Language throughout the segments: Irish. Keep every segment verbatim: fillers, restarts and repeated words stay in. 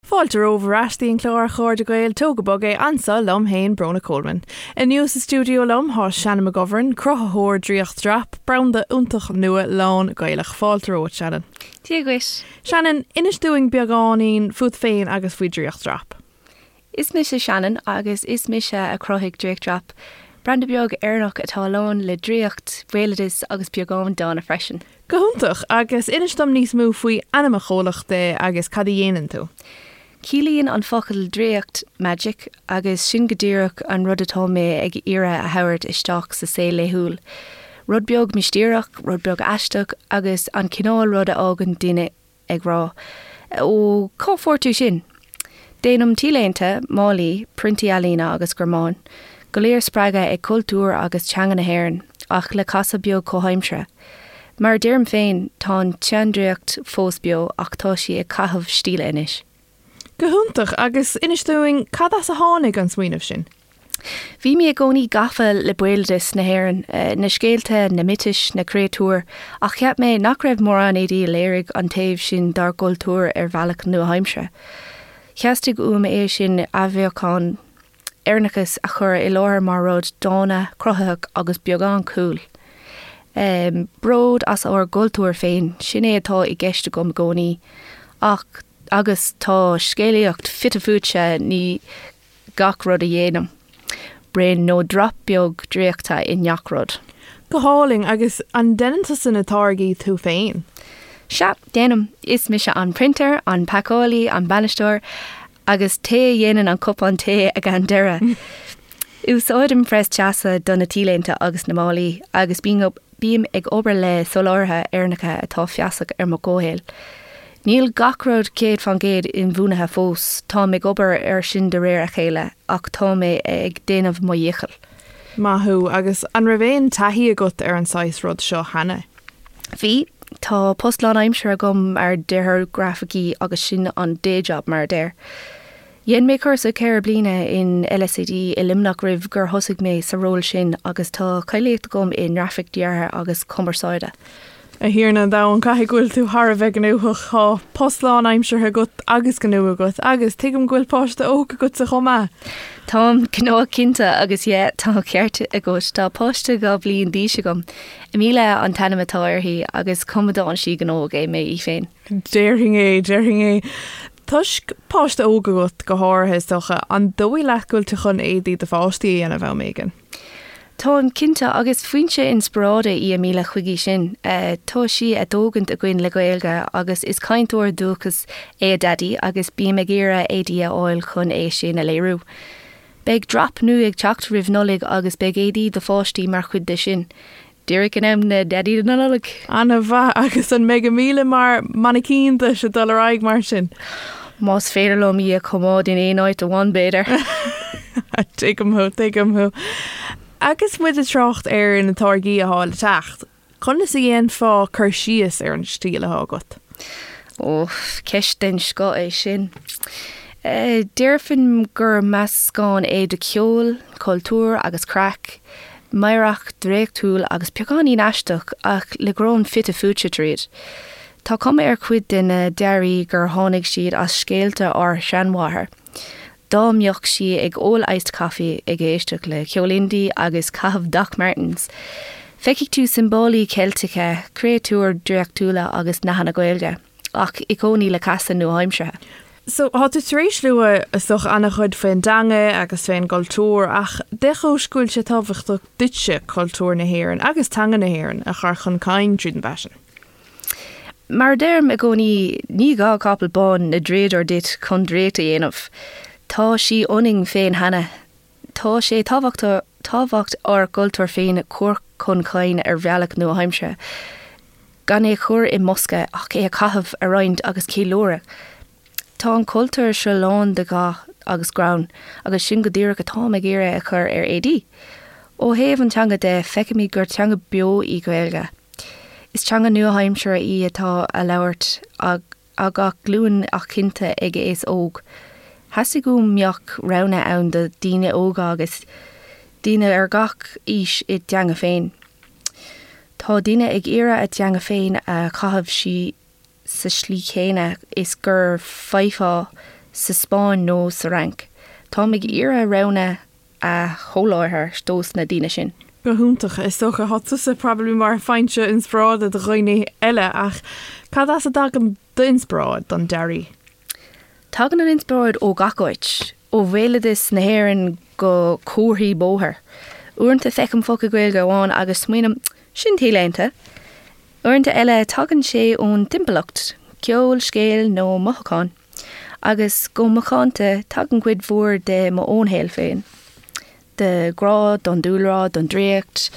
Fáilte romhaibh ar ais an clár Chairde Gael Tóg Go Bog É anseo liom féin Bróna Coleman. Inniu sa stiúideo liom tá Shannon McGovern, cruthaitheoir Draíocht Drap, branda iontach nua lán Gaelach fáilte romhat Shannon. Dia duit. Shannon, inis dúinn beagáinín fút féin agus faoi Draíocht Drap. Is mise Shannon agus is mise a chruthaigh Draíocht Drap, branda beag Éireannach atá lán le draíocht, béaloideas agus beagán dána freisin. Go hiontach agus inis dom níos mó faoi ainm an chomhlachta agus cad a dhéanann tú. Ciallaíonn an focal draíocht magic agus sin go díreach an rud atá mé ag iarraidh a thabhairt isteach sa saol laethúil. Rud beag mistéireach, rud beag aisteach agus an cineál rud a fhágann duine ag rá. Ó cá bhfuair tú sin? Déanaim t-léinte, málaí, priontaí ealaíne agus greamáin, go léir spreagtha ag cultúr agus teanga na hÉireann, ach le casadh beag comhaimseartha. Mar deirim féin tá an tseandraíocht fós beo ach tá sí ag caitheamh stíle anois. Go hiontach agus inis dúinn cad as a tháinig an smaoineamh sin. Bhí mé i gcónaí gafa le béaloideas na hÉireann, eh, na scéalta, na miotais, na créatúir, ach cheap mé nach raibh mórán éadaí a léirigh an taobh sin dár gcultúr ar bhealach nua-aimseartha. Theastaigh uaim é sin athbheochan Éireannachas a chur i láthair mar rud dána, cruthaitheach agus beagán cool. Um, bród as ár gcultúr féin, sin é atá i gceist agam i gcónaí, ach agus tá scéalaíocht fite fuaite i ngach rud a dhéanaim. Braon nó drop beag draíochta i ngach rud. Go hálainn agus an ndéanann tusa na táirgí tú féin. Sea, déanaim is mise an printer, an pacálaí, an bainisteoir, agus té a dhéanann an cupán tae ag an deireadh. Úsáidim press teasa do na t-léinte agus na málaí agus bím ag obair le soláthraithe Éireannacha atá feasach ar an gcomhshaol. Níl gach rud céad faoin gcéad inbhuanaithe fós, tá ag obair ar sin de réir a chéile ach tá mé ag déanamh mo dhícheall. Maith thú agus an raibh aon taithí agat ar an saghas rud seo cheana. Bhí tá post lánaimseartha agam mar dhearthóir grafaicí agus sin an day job mar a deir. Dhein mé cúrsa ceithre bliana in LSAD i Luimneach roimh gur thosaigh mé sa ról sin agus tá cáilíocht agam i ngrafaic deartha agus cumarsáide. A Thiarna an domhain caithfidh go bhfuil tú thar a bheith gnóthach tá post lánaimseartha agat agus gnó agat agus tuigim go bhfuil páiste óg agat chomh maith. Táim gnóthach cinnte agus yeah tá ceart agat tá páiste dhá bhliain d'aois agam. Emilia an t-ainm atá uirthi agus coimeádann sí gnóthach é mé í féin. Déarfainn é déarfainn é. Toisc páiste óg agat go háirithe is dócha an dóigh leat go bhfuil tú chun éadaí do pháistí a dhéanamh am éigin. Táim cinnte agus foinse inspioráide í Emilia chuige sin. Uh, tá sí á tógaint againn le Gaeilge agus is cainteoir dúchais é a daidí agus bím ag iarraidh éadaí a fháil chun é sin a léiriú. Beidh drop nua ag teacht roimh Nollaig agus beidh éadaí do pháistí mar chuid de sin. Díreach in am na Daidí na Nollag. An-mhaith agus an mbeidh Emilia mar mainicín duit ag dul ar aghaidh mar sin. Más féidir liom í a choimeád in aon áit amháin b'fhéidir. Tuigim thú tuigim thú. Agus muid ag trácht ar na táirgí atá le teacht. Conas a dhéanfá cur síos ar an stíl atá agat. Ó ceist den scoth é sin. Uh, Déarfainn gur meascán é de ceol, cultúr agus craic, meidhreach draíochtúil agus beagáinín aisteach ach le greann fite fuaite tríd. Tá cuma ar chuid de na dearaí gur tháinig siad as scéalta ár seanmháthar. Dá mbeadh sí ag ól iced coffee ag éisteacht le ceol indie agus caitheamh Doc Martens. Feicfidh tú siombailí Ceilteacha, créatúir draíochtúla agus nathanna Gaeilge, ach i gcónaí le casadh nua-aimseartha. So tá tú tar éis lua is dócha an-chuid faoin dteanga agus faoin gcultúr ach cén chúis go bhfuil sé tábhachtach duitse cultúr na hÉireann agus teanga na hÉireann a chur chun cinn tríd an bhfaisean. Mar deirim i gcónaí ní gá capall bán ná draíodóir duit chun draíocht a dhéanamh. Tá sí ionainn féin cheana. Tá sé tábhachtach tábhacht ár gcultúr féin chur chun cinn ar bhealach nua-aimseartha. Gan é chur i mbosca ach é a chaitheamh a roinnt agus ceiliúradh. Tá an cultúr seo lán de dhath agus greann, agus sin go díreach atá ag iarraidh a chur ar éadaí. Ó thaobh an teanga de feicimid gur teanga beo í Gaeilge. Is teanga nua-aimseartha í atá á labhairt ag gach glúin ach cinnte ag aos óg. Theastaigh go mbeadh rogha ann do daoine óga agus daoine ar gach aois i dteanga féin. Tá daoine ag iarraidh a dteanga féin a chaitheamh sí sa slí chéanna is gur féidir sa Spáinn nó sa Fhrainc. Táim ag iarraidh roghanna a sholáthar dos na daoine sin. Go hiontach is dócha tá tusa probably mar foinse inspioráide do dhaoine eile ach cad as a dtagann d'inspioráid don dearaí. Tagann an inspioráid ó gach áit, ó bhéaloideas na hÉireann go comharthaí bóthair. Uaireanta feicim focal Gaeilge amháin agus smaoiním sin talúnta. Uaireanta eile tagann sé ón timpeallacht, ceol, scéal nó mothúchán, agus go macánta tagann cuid mhór de mo shaol féin. De grá don dúlra, don draíocht,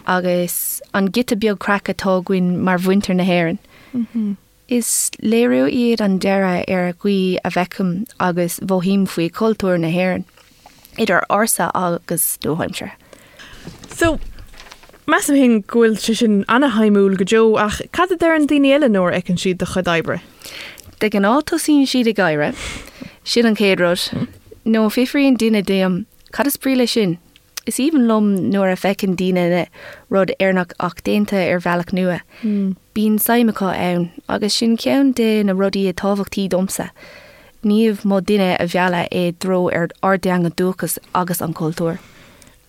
agus an giota beag craic atá againn mar mhuintir na hÉireann. Mm -hmm. Is léiriú iad an dearadh ar an gcaoi a bhfeicim agus mothaím faoi cultúr na hÉireann, idir ársa agus nua-aimseartha. So Measaim féin go bhfuil sé sin an-shuimiúil go deo ach cad a deireann daoine eile nuair a fheiceann siad do chuid oibre. De ghnáth tosaíonn siad ag gáire, sin an chéad rud, nó fiafraíonn duine díom cad is brí leis sin. Is aoibhinn liom nuair a fheiceann daoine rud Éireannach ach déanta ar bhealach nua. Mm. Bíonn suim acu ann agus sin ceann de na rudaí is tábhachtaí domsa. Níomh mo duine a bheala é dro ar ardeanga dúchas agus an cultúr.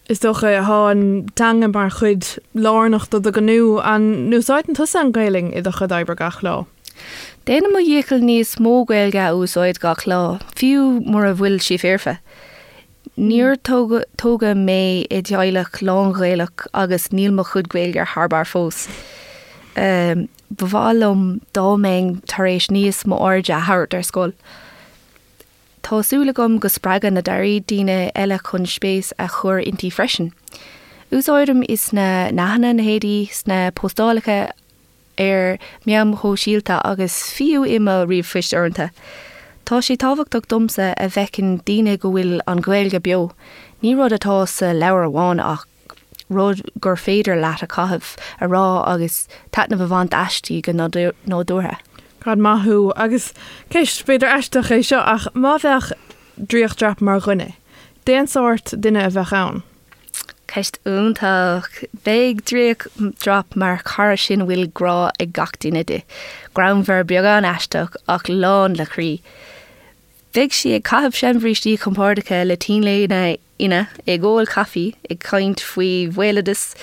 Is dócha tá an teanga mar chuid lárnach de do ghnó an n-úsáideann tusa an Ghaeilge i do chuid oibre gach lá. Déanaim mo dhícheall níos mó Gaeilge a úsáid gach lá, fiú mura bhfuil sí foirfe. Níor tógadh mé i dteaghlach lán-Ghaelach agus níl mo chuid Gaeilge thar barr fós. Um, Ba mhaith liom dá mbeinn tar éis níos mó airde a thabhairt ar scoil. Tá súil agam go spreagann na dearaí daoine eile chun spéis a chur inti freisin. Úsáidim í sna nathanna na héadaí sna postálacha ar meáin shóisialta agus fiú i mo ríomhphoist uaireanta. Tá sé tábhachtach domsa a bhfeiceann daoine go bhfuil an Ghaeilge beo, Ní rud atá sa leabhar amháin ach rud gur féidir leat a chaitheamh a rá agus taitneamh a bhaint aisti go nádúrtha. Cad maith thú agus ceist b'fhéidir aisteach é seo ach má bheadh Draíocht Drap mar dhuine. Cén sórt duine a bheadh ann. Ceist iontach Bheadh Draíocht Drap mar chara sin bhfuil grá ag gach duine di. Greannmhar beagán aisteach ach lán le croí. Bheadh sí ag caitheamh seanbhrístí compordacha le t-léine fhionn ag ól caife ag caint faoi bhéaloideas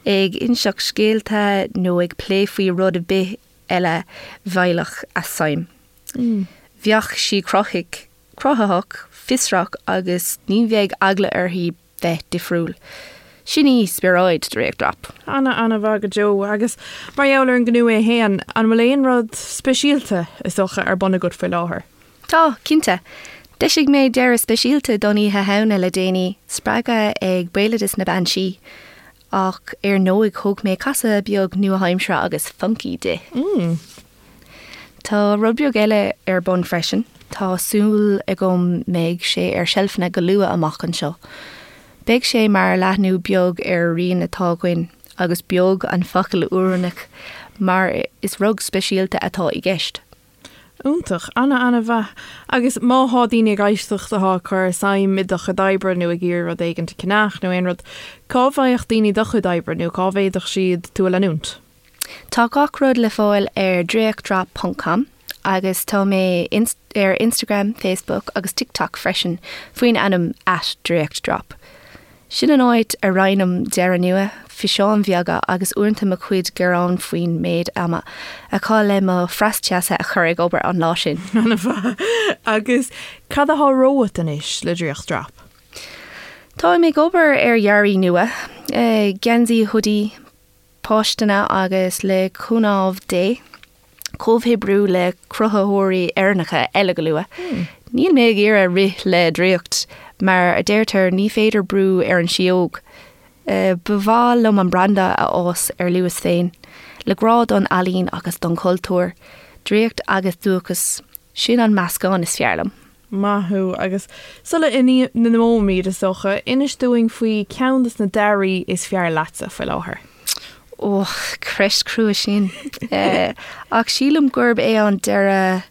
ag inseacht scéalta nó ag plé faoi rud ar bith eile bheadh a suim. Mm. Bheadh sí cruthaitheach, cruthaitheach, fiosrach agus ní bheadh eagla uirthi bheith difriúil. Sin í spiorad Draíocht Drap. Ana ana-mhaith go deo agus mar gheall ar an ngnó é féin an bhfuil aon rud speisialta is dócha ar bun agat faoi láthair. Tá cinnte. D'eisigh mé dearadh speisialta don Oíche Shamhna le déanaí spreagtha ag béaloideas na bean sí, ach ar ndóigh thug mé casadh beag nua-aimseartha agus funky di. Mm. Tá rud beag eile ar bun freisin, Tá súil agam mbeidh sé ar seilfeanna go luath amach anseo. Beidh sé mar leathnú beag ar rian atá againn agus beag an focal oiriúnach mar is rud speisialta atá i gceist. Iontach ana ana-mhaith agus má tá daoine ag éisteacht atá cur suim i do chuid oibre nó ag iarraidh rud éigin a cheannach nó aon rud, cá bhfaigheadh daoine do chuid oibre nó cá bhféadfadh siad tú a leanúint. Tá gach rud le fáil ar draíochtdrop.com agus tá mé ar Instagram, Facebook agus TikTok freisin faoin ainm at draíochtdrop. Sin an áit a roinnim dearaí nua, físeáin bheaga agus uaireanta mo chuid gearán faoin méid ama a chaith le mo phreas teasa a chur ag obair an lá sin. Ana-mhaith agus cad atá romhat anois le Draíocht Drap. Tá mé ag obair ar dhearaí nua, geansaí hoodie, postanna agus le cúnamh Dé, comhoibriú le cruthaitheoirí Éireannacha eile go luath. Mm. Níl mé ag iarraidh rith le draíocht, mar a deirtear ní féidir brú ar an síóg. Uh, Ba mhaith liom an branda a fhás ar luas féin, le grá don ealaín agus don chultúr, draíocht agus dúchas, sin an meascán is fearr liom. Maith thú agus sula n-imeoimid is dócha inis dúinn faoi ceann de na dearaí is fearr leatsa faoi láthair. ó ceist chrua sin. uh, ach sílim gurb é an dearadh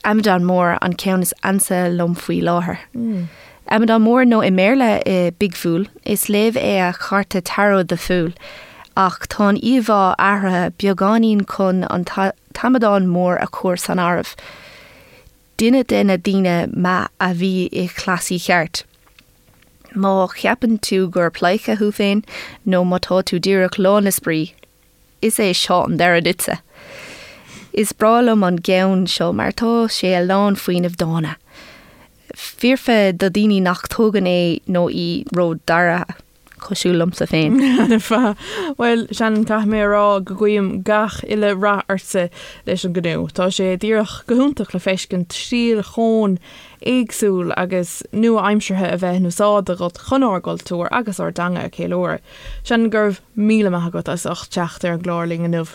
Amadán Mór an ceann is ansa liom faoi láthair. Mm. Amadán Mór nó i mBéarla i Big Fool is léamh é ar chárta tarot The Fool, ach tá an íomhá athraithe beagáinín chun an t-amadán mór a chur san áireamh. Duine de na daoine maith a bhí i chleasaí cheart. Má cheapann tú gur pleidhce thú féin nó má tá tú díreach lán le spraoi, is é seo an deireadh duitse. Is breá liom an ceann seo mar tá sé a lán fuinnimh dána. Foirfe do daoine nach dtógann é nó í ró-dáiríre cosúil liomsa féin. Fa Well Shannon caithfidh mé a rá go guím gach uile rath ortsa leis an gnó. Tá sé díreach go hiontach le feiscint stíl chomh éagsúil agus nua-aimseartha a bheith in úsáid agat chun ár gcultúr agus ár dteanga a cheiliúradh. Shannon go raibh míle maith agat as ucht teacht ar an gclár linn inniu.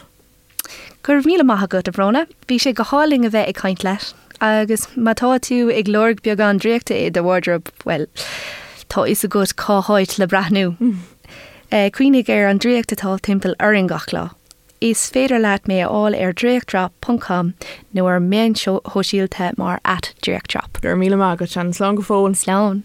Go raibh míle maith agat a Bhróna, bhí sé go hálainn a bheith ag caint leat, agus má tá tú ag lorg beagán draíochta i do wardrobe well, tá fhios agat cá háit le breathnú. Mm. Cuimhnigh ar an draíocht atá timpeall orainn gach lá. Is féidir leat mé a fháil ar draíochtdrop.com nó ar meáin shóisialta mar at draíochtdrop. Gur míle maith agat Shannon slán go fóill. Slán.